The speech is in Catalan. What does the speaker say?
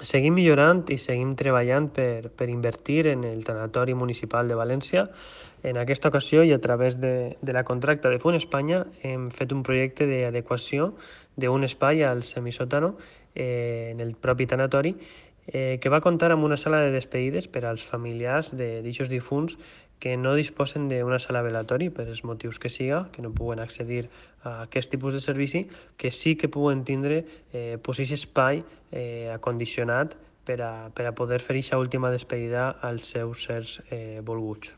Seguim millorant i seguim treballant per invertir en el tanatori municipal de València. En aquesta ocasió i a través de la contracta de Font Espanya hem fet un projecte d'adequació d'un espai al semisòtano en el propi tanatori que va comptar amb una sala de despedides per als familiars d'eixos difunts que no disposen d'una sala velatori per els motius que siga, que no puguen accedir a aquest tipus de servici, que sí que puguen tindre aquest espai acondicionat per a poder fer aquesta última despedida als seus sers volguts.